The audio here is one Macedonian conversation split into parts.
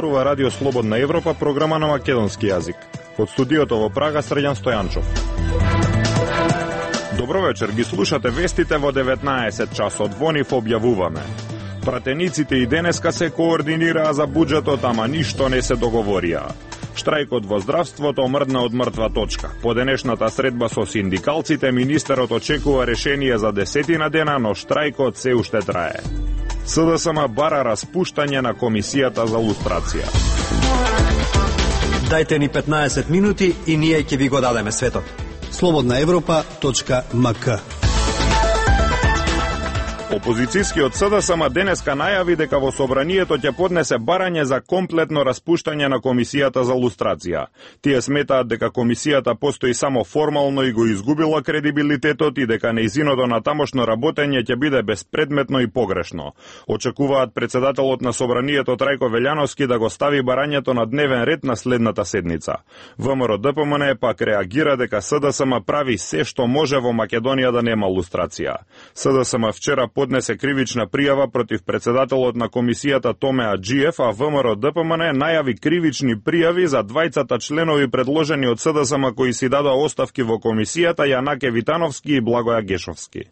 зборува Радио Слободна Европа, програма на македонски јазик. Од студиото во Прага, Срđan Стојанчов. Добро вечер, ги слушате вестите во 19 часот. Во нив објавуваме. Пратениците и денеска се координираа за буџетот, ама ништо не се договорија. Штрајкот во здравството мрдна од мртва точка. По денешната средба со синдикалците, министерот очекува решение за 10 дена, но штрајкот се уште трае. СДСМ бара распуштање на комисијата за лустрација. Дајте ни 15 минути и ние ќе ви го дадеме светот. slobodnaevropa.mk. Опозицијскиот СДСМ денеска најави дека во собранието ќе поднесе барање за комплетно распуштање на комисијата за лустрација. Тие сметаат дека комисијата постои само формално и го изгубила кредибилитетот и дека нејзиното натамошно работење ќе биде безпредметно и погрешно. Очекуваат председателот на собранието Трајко Велјановски да го стави барањето на дневен ред на следната седница. ВМРО-ДПМН пак реагира дека СДСМ прави се што може во Македонија да нема лустрација. СДСМ вчера поднесе кривична пријава против председателот на комисијата Томе Аџиев, а ВМРО-ДПМН најави кривични пријави за двајцата членови предложени од СДСМ кои си дадоа оставки во комисијата, Јанаке Витановски и Благоја Гешовски.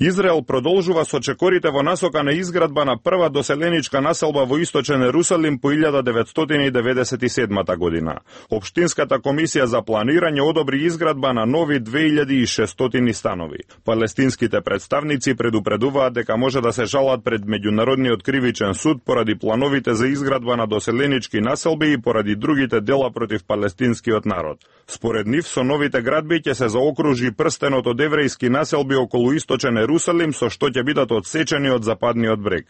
Израел продолжува со чекорите во насока на изградба на прва доселеничка населба во источен Ерусалим по 1997 година. Општинската комисија за планирање одобри изградба на нови 2600 станови. Палестинските представници предупредуваат дека може да се жалат пред Меѓународниот кривичен суд поради плановите за изградба на доселенички населби и поради другите дела против палестинскиот народ. Според нив, со новите градби ќе се заокружи прстенот од еврејски населби околу источен Ерусалим, со што ќе бидат одсечени од западниот брег.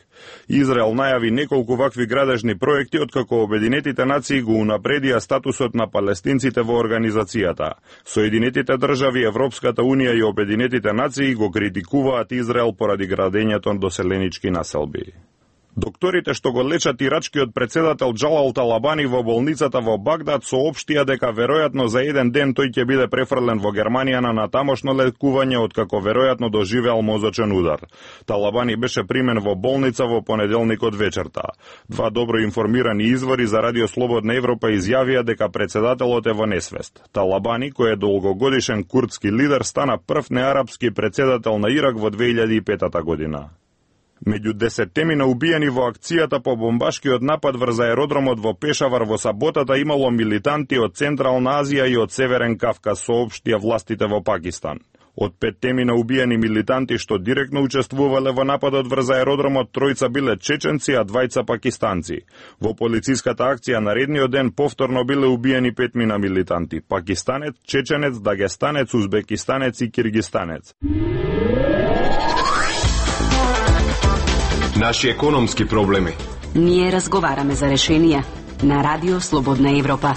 Израел најави неколку вакви градежни проекти, откако Обединетите нации го унапредија статусот на палестинците во организацијата. Соединетите држави, Европската унија и Обединетите нации го критикуваат Израел поради градењето на доселенички населби. Докторите што го лечат ирачкиот председател Џалал Талабани во болницата во Багдад соопштија дека веројатно за еден ден тој ќе биде префрлен во Германија на натамошно лекување, откако веројатно доживеал мозочен удар. Талабани беше примен во болница во понеделникот вечерта. Два добро информирани извори за Радио Слободна Европа изјавија дека председателот е во несвест. Талабани, кој е долгогодишен курдски лидер, стана прв неарапски председател на Ирак во 2005 година. Меѓу 10 убиени во акцијата по бомбашкиот напад врз аеродромот во Пешавар во саботата имало милитанти од Централна Азија и од Северен Кавказ, соопштија властите во Пакистан. Од 5 убиени милитанти што директно учествувале во нападот врз аеродромот, тројца биле чеченци, а двајца пакистанци. Во полициската акција наредниот ден повторно биле убиени 5 милитанти: пакистанец, чеченец, дагестанец, узбекистанец и киргистанец. Наши економски проблеми. Ние разговараме за решенија на Радио Слободна Европа.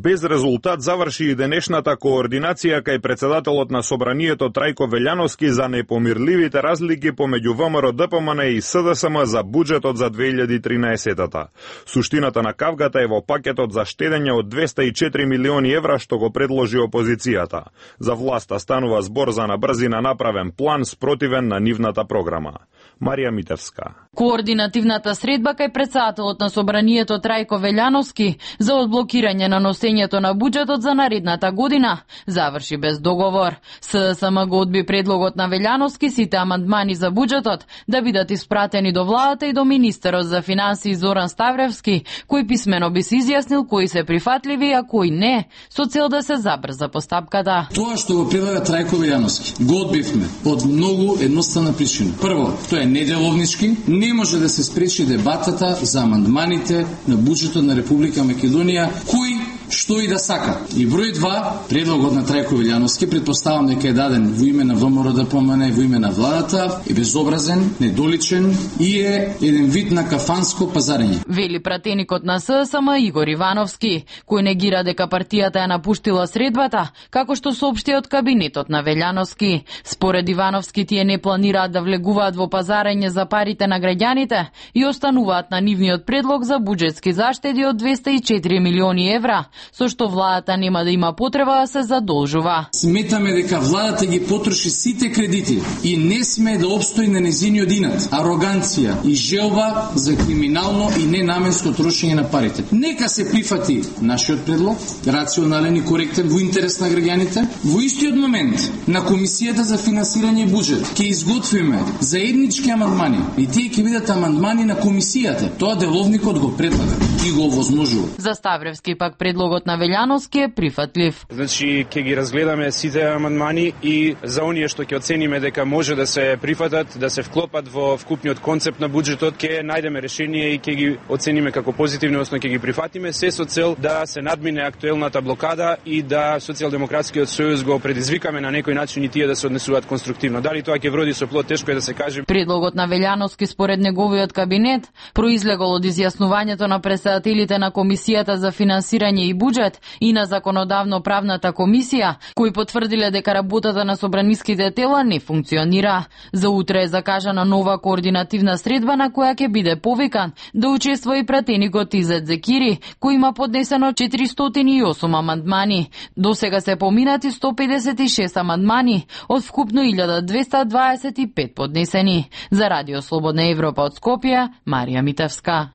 Без резултат заврши и денешната координација кај председателот на собранието Трајко Велјановски за непомирливите разлики помеѓу ВМРО-ДПМН и СДСМ за буџетот за 2013-та. Суштината на кавгата е во пакетот за штедење од 204 милиони евра што го предложи опозицијата. За власта станува збор за на брзина направен план спротивен на нивната програма. Марија Митевска. Координативната средба кај председателот на собранието Трајко Велјановски за одблокирање на носењето на буџетот за наредната година заврши без договор. СДСМ го одби предлогот на Велјановски сите амандмани за буџетот да бидат испратени до владата и до министерот за финансии Зоран Ставревски, кој писмено би се изјаснил кои се прифатливи, а кои не, со цел да се забрза постапката. Тоа што го предлага Трајко Велјановски го одбивме од многу едноставна причина. Прво, тоа е неделовнички, не може да се спречи дебатата за амандманите на буџетот на Република Македонија, кој што и да сака. И број 2, предлогот на Трајко Велјановски, предпоставам дека е даден во име на ВМРО-ДПМН и во име на владата, е безобразен, недоличен и е еден вид на кафанско пазарење. Вели пратеникот на СДСМ Игор Ивановски, кој негира дека партијата ја напуштила средбата, како што соопшти од кабинетот на Велјановски. Според Ивановски, тие не планираат да влегуваат во пазарење за парите на граѓаните и остануваат на нивниот предлог за буџетски заштеди од 204 милиони евра, со што владата нема да има потреба да се задолжува. Сметаме дека владата ги потроши сите кредити и не сме да обстои на незиниот инат, ароганција и желба за криминално и ненаменско трошење на парите. Нека се прифати нашиот предлог, рационален и коректен во интерес на граѓаните. Во истиот момент на Комисијата за финансирање и буџет ќе изготвиме заеднички амандмани и тие ќе бидат амандмани на Комисијата. Тоа деловникот го предлага и го овозможува. За Ставревски пак предлогот на Велјановски е прифатлив. Значи ќе ги разгледаме сите амандмани и за оние што ќе оцениме дека може да се прифатат, да се вклопат во вкупниот концепт на буџетот, ќе најдеме решение и ќе ги оцениме како позитивни, односно ќе ги прифатиме, се со цел да се надмине актуелната блокада и да Социјалдемократскиот сојуз го предизвикаме на некој начин и тие да се однесуваат конструктивно. Дали тоа ќе вроди со плод, тешко е да се каже. Предлогот на Велјановски според неговиот кабинет произлегол од изјаснувањето на председателите на Комисијата за финансирање и буџет и на Законодавно-правната комисија, кои потврдиле дека работата на собраниските тела не функционира. За утре е закажана нова координативна средба на која ќе биде повикан да учествува и пратеникот Изет Зекири, кој има поднесено 408 амандмани. До сега се поминати 156 амандмани од вкупно 1225 поднесени. За Радио Слободна Европа од Скопје, Марија Митевска.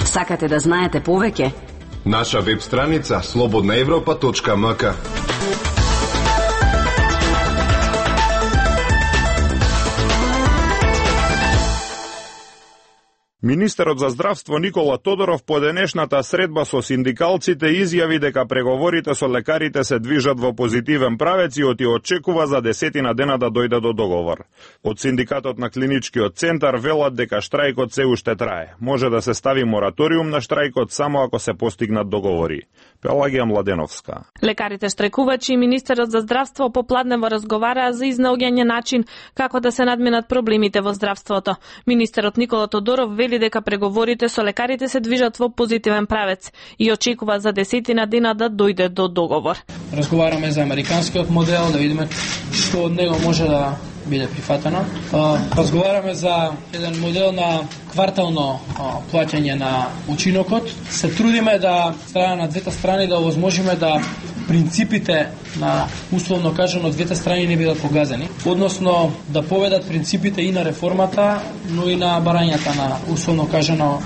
Сакате да знаете повеќе? Наша веб страница slobodnaevropa.mk. Министерот за здравство Никола Тодоров по денешната средба со синдикалците изјави дека преговорите со лекарите се движат во позитивен правец и очекува за 10 дена да дојде до договор. Од синдикатот на клиничкиот центар велат дека штрајкот се уште трае. Може да се стави мораториум на штрајкот само ако се постигнат договори. Пелагија Младеновска. Лекарите штрajkувачи и министерот за здравство попладнево разговараа за изнаоѓање начин како да се надминат проблемите во здравството. Министерот Никола Тодоров вели дека преговорите со лекарите се движат во позитивен правец и очекува за 10 дена да дојде до договор. Разговараме за американскиот модел, да видиме што од него може да биде прифатено. Разговараме за еден модел на квартално плаќање на учинокот. Се трудиме да страна на двете страни да овозможиме да принципите на условно кажано двете страни не бидат погазени, односно да поведат принципите и на реформата, но и на барањата на условно кажано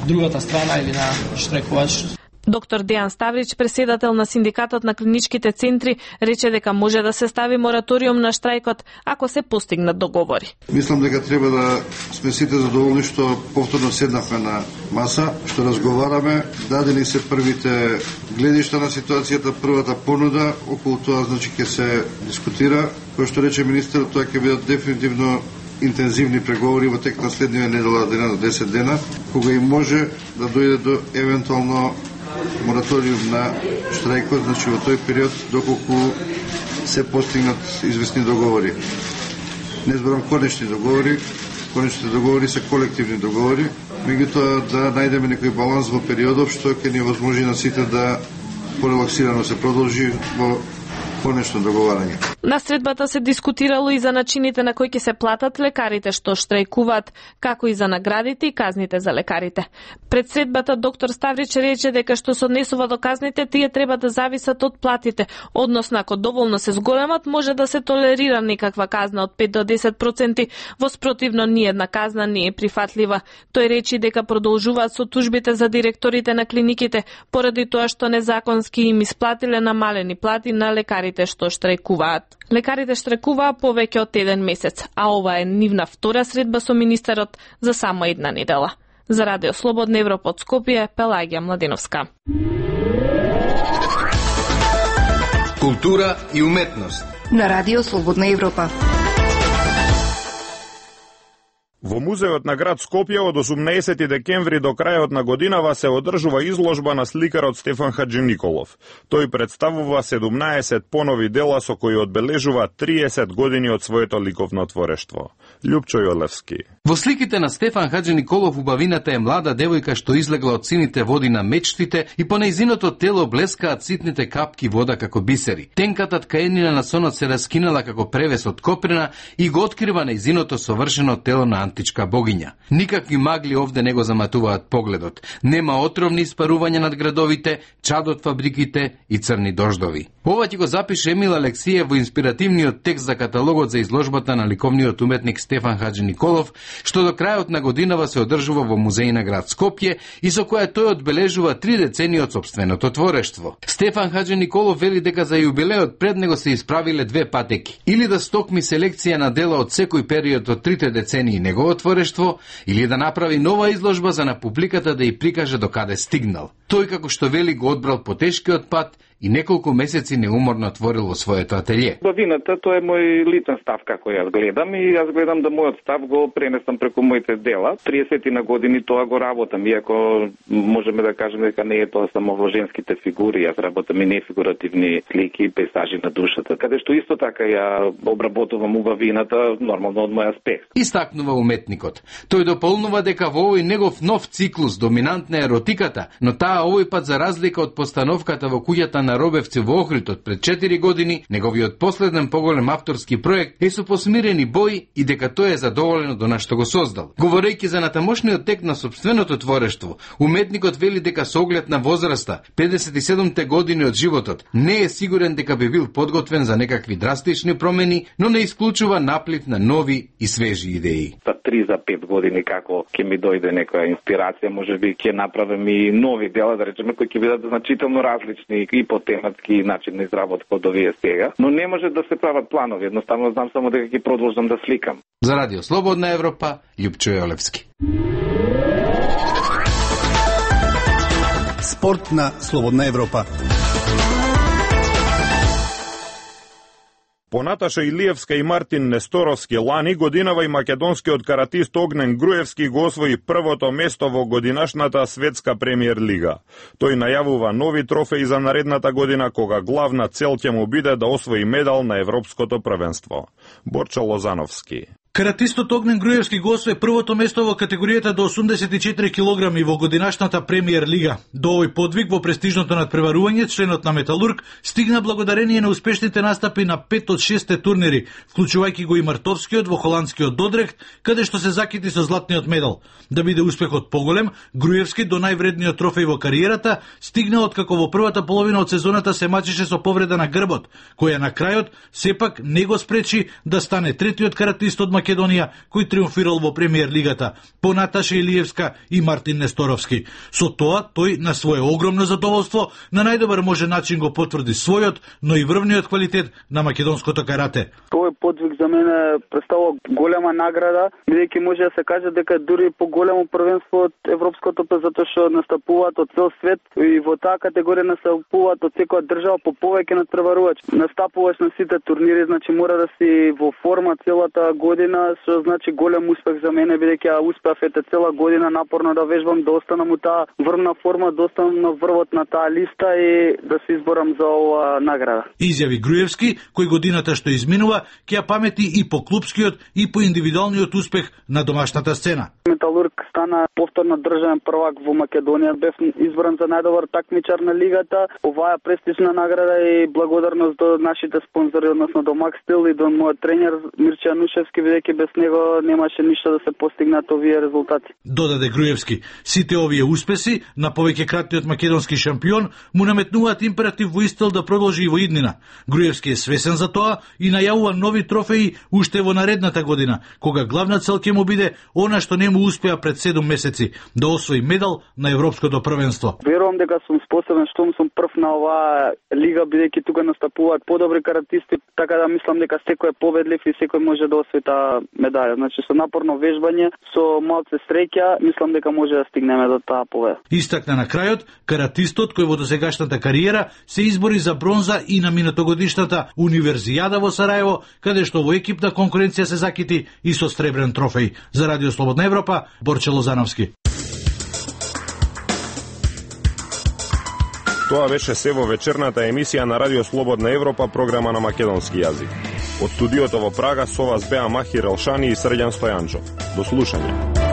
другата страна или на штрајкувач. Доктор Дејан Ставрич, председател на синдикатот на клиничките центри, рече дека може да се стави мораториум на штрајкот ако се постигнат договори. Мислам дека треба да сме сите задоволни што повторно седнахме на маса, што разговараме, дадени се првите гледишта на ситуацијата, првата понуда, околу тоа значи ќе се дискутира. Кој што рече министерот, тоа ќе бидат дефинитивно интензивни преговори во тек на следниве недела дена до 10 дена, кога и може да дојде до евентуално мораториум на штрајкот, значи во тој период доколку се постигнат известни договори. Не зборам конечни договори, конечните договори се колективни договори, меѓутоа да најдеме некој баланс во периодов што ќе ни возможи на сите да порелаксирано се продолжи во конечно договарање. На средбата се дискутирало и за начините на кои ќе се платат лекарите што штрајкуваат, како и за наградите и казните за лекарите. Пред средбата доктор Ставрич рече дека што се однесува до казните, тие треба да зависат од платите, односно ако доволно се зголемат, може да се толерира некаква казна од 5 до 10%, во спротивно ниедна казна не е прифатлива. Тој речи дека продолжуваат со тужбите за директорите на клиниките, поради тоа што незаконски им исплатиле намалени плати на лекарите што штрајкуваат. Лекарите штрајкуваа повеќе од 1 месец, а ова е нивна втора средба со министерот за само една недела. За Радио Слободна Европа од Скопје, Пелагија Младеновска. Култура и уметност на Радио Слободна Европа. Во музеот на град Скопје од 18 декември до крајот на годинава се одржува изложба на сликарот Стефан Хаџиниколов. Тој представува 17 понови дела со кои одбележува 30 години од своето ликовно творештво. Љупчо Јолевски. Во сликите на Стефан Хаџиниколов убавината е млада девојка што излегла од сините води на мечтите и по нејзиното тело блескаат ситните капки вода како бисери. Тенката ткаенина на сонот се раскинала како превес од коприна и го открива нејзиното совршено тело на романтичка богиња. Никакви магли овде не го заматуваат погледот. Нема отровни испарувања над градовите, чад од фабриките и црни дождови. Ова ќе го запише Емил Алексиев во инспиративниот текст за каталогот за изложбата на ликовниот уметник Стефан Хаџи Николов, што до крајот на годинава се одржува во музеј на град Скопје и со која тој одбележува 3 децении од сопственото творештво. Стефан Хаџи Николов вели дека за јубилеот пред него се исправиле 2 патеки. Или да стокми селекција на дела од секој период од 3 децении негово творештво, или да направи нова изложба за на публиката да ја прикаже до каде стигнал. Тој, како што вели, го одбрал по тешкиот пат и неколку месеци неуморно творил во своето ателје. Бавината, тоа е мој личен став како јас гледам и јас гледам да мојот став го пренесам преку моите дела. 30 на години тоа го работам, иако можеме да кажеме дека не е тоа само во женските фигури, јас работам и нефигуративни слики и пейзажи на душата, каде што исто така ја обработувам убавината нормално од мој аспект. Истакнува уметникот. Тој дополнува дека во овој негов нов циклус доминантна е еротиката, но таа овој пат за разлика од постановката во куќата на Робевци во Охрид пред 4 години, неговиот последен поголем авторски проект е со посмирени бои и дека тој е задоволен од она што го создал. Говорејќи за натамошниот тек на сопственото творештво, уметникот вели дека со оглед на возраста, 57-те години од животот, не е сигурен дека би бил подготвен за некакви драстични промени, но не исклучува наплив на нови и свежи идеи. За 3 за 5 години како ќе ми дојде некоја инспирација, можеби ќе направам и нови дела, да речеме, кои ќе бидат значително различни и по тематски начин на изработка од овие сега, но не може да се прават планови, едноставно знам само дека ќе продолжам да сликам. За Радио Слободна Европа, Љупчо Јолевски. Спорт на Слободна Европа. По Наташа Илиевска и Мартин Несторовски лани годинава и македонскиот каратист Огнен Груевски го освои првото место во годинашната светска премиер лига. Тој најавува нови трофеи за наредната година, кога главна цел ќе му биде да освои медал на европското првенство. Борчо Лозановски. Каратистот Огнен Груевски го освои првото место во категоријата до 84 килограми во годинашната премиер лига. До овој подвиг во престижното надпреварување членот на Металург стигна благодарение на успешните настапи на 5 од 6 турнири, вклучувајќи го и мартовскиот во холандскиот Додрехт, каде што се закити со златниот медал. Да биде успехот поголем, Груевски до највредниот трофеј во кариерата стигна откако во првата половина од сезоната се мачеше со повреда на грбот, која на крајот сепак не го спречи да стане третиот каратист од Македонија кој триумфирал во премиер лигата по Наташа Илиевска и Мартин Несторовски. Со тоа тој на свое огромно задоволство на најдобар можен начин го потврди својот, но и врвниот квалитет на македонското карате. Овој подвиг за мене представува голема награда, бидејќи може да се каже дека дури поголемо првенство од европското, затоа што настапуваат од цел свет и во таа категорија настапуваат од секоја држава по повеќе надпреварувач. Настапуваш на сите турнири, значи мора да си во форма целата година, што значи голем успех за мене, бидејќи ја успеав цела година напорно да вежбам, да останам у таа врвна форма, да останам на врвот на таа листа и да се изборам за оваа награда. Изјави Груевски, кој годината што изминува ќе ја памети и по клупскиот и по индивидуалниот успех на домашната сцена. Металург стана повторно државен првак во Македонија, бев избран за најдобар такмичар на лигата. Оваа престижна награда и благодарност до нашите спонзори, односно до Макстил и до мојот тренер Мирче Јанушевски, бидејќи без него немаше ништо да се постигнат овие резултати. Додаде Груевски, сите овие успеси на повеќекратниот македонски шампион му наметнуваат императив во истел да продолжи и во иднина. Груевски е свесен за тоа и најавува нови трофеи уште во наредната година, кога главна цел ќе му биде она што не му успеа пред 7 месеци, да освои медал на европското првенство. Верувам дека сум способен, штом сум прв на оваа лига, бидејќи тука настапуваат подобри каратисти, така да мислам дека секој е победлив и секој може да освои таа медаља. Значи со напорно вежбање, со малце среќа, мислам дека може да стигнеме до таа победа. Истакна на крајот, каратистот кој во досегашната кариера се избори за бронза и на минатогодишната Универзијада во Сараево, каде што во екипна конкуренција се закити и со сребрен трофеј. За Радио Слободна Европа, Борче Лозановски. Тоа беше се во вечерната емисија на Радио Слободна Европа, програма на македонски јазик. Од студиото во Прага со вас беа Махир Елшани и Срđan Стојанчов. До слушање.